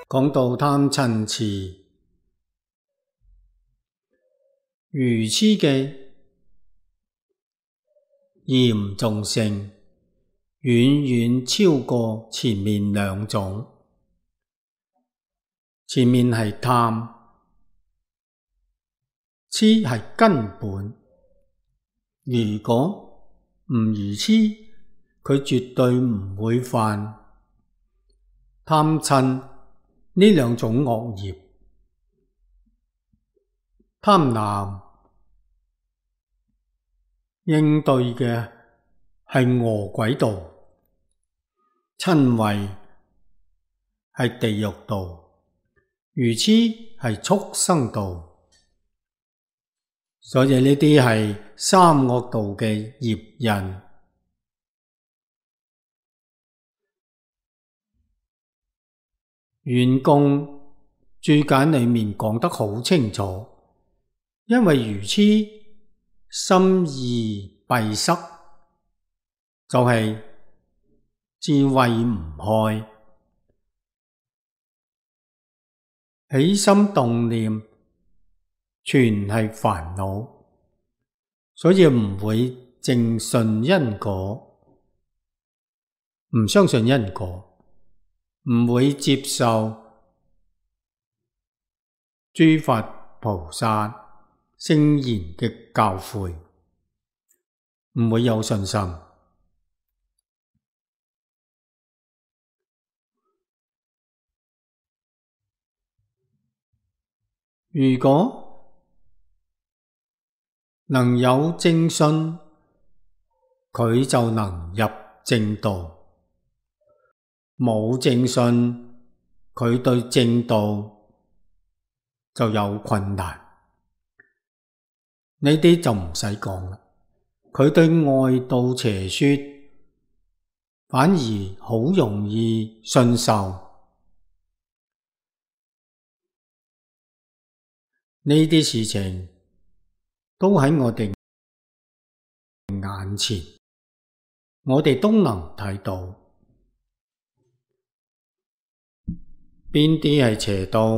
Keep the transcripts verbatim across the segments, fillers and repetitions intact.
講到貪嗔癡，愚癡嘅嚴重性遠遠超過前面兩種。前面係貪，癡係根本。如果唔愚癡，佢絕對唔會犯貪嗔呢兩種惡業。貪婪應對嘅係餓鬼道，瞋恚係地獄道，愚癡係畜生道。所以呢啲係三惡道嘅業印。圓供注解裏面講得好清楚，因為愚癡心意閉塞，就係、是、智慧唔開，起心動念全係煩惱，所以唔會正信因果，唔相信因果，唔會接受諸佛菩薩聖賢嘅教誨，唔會有信心。如果能有正信，佢就能入正道；冇正信，佢對正道就有困難。呢啲就唔使講啦，佢對外道邪說反而好容易信受。呢啲事情都喺我哋眼前，我哋都能睇到。邊啲係邪道？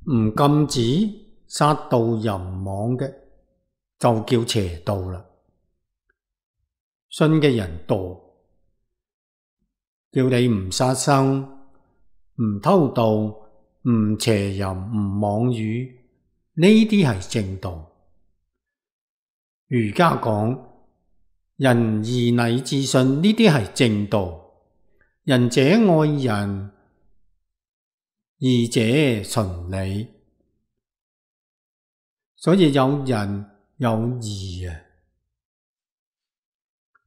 唔禁止殺盜淫妄嘅，就叫邪道啦。信嘅人多，叫你唔殺生、唔偷盜、唔邪淫、唔妄語，呢啲係正道。儒家講仁義禮智信，呢啲係正道。仁者愛人，義者循理，所以有仁有義啊！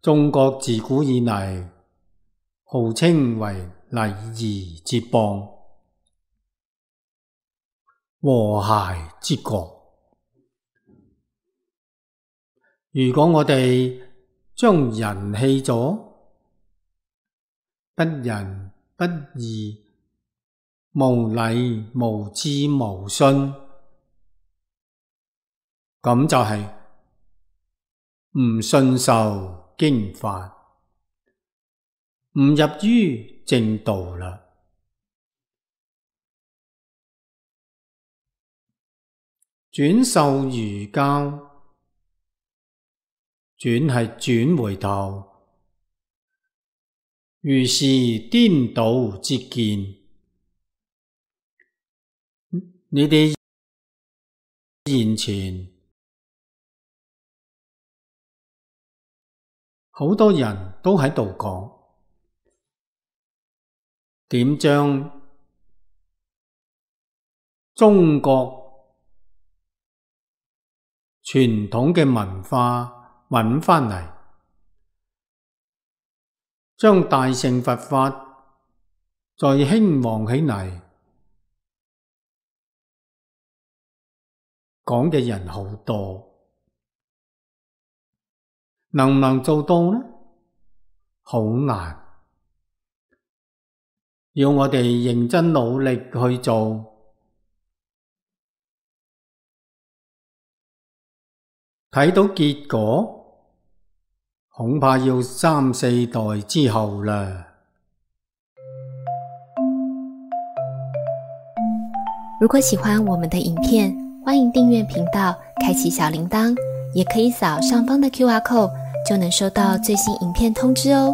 中國自古以來號稱為禮儀之邦、和諧之國。如果我哋將仁棄咗，不仁不義、無禮無智無信，咁就係唔信受經法，唔入於正道啦。轉受儒教，轉係轉回頭，如是顛倒之見。呢啲現前好多人都喺度講，點將中國傳統嘅文化搵返嚟，將大乘佛法再興旺起嚟，講嘅人好多，能唔能做到呢？好難，要我哋認真努力去做，睇到結果，恐怕要三四代之後啦。如果喜欢我们的影片，欢迎订阅频道，开启小铃铛，也可以扫上方的 Q R code， 就能收到最新影片通知哦。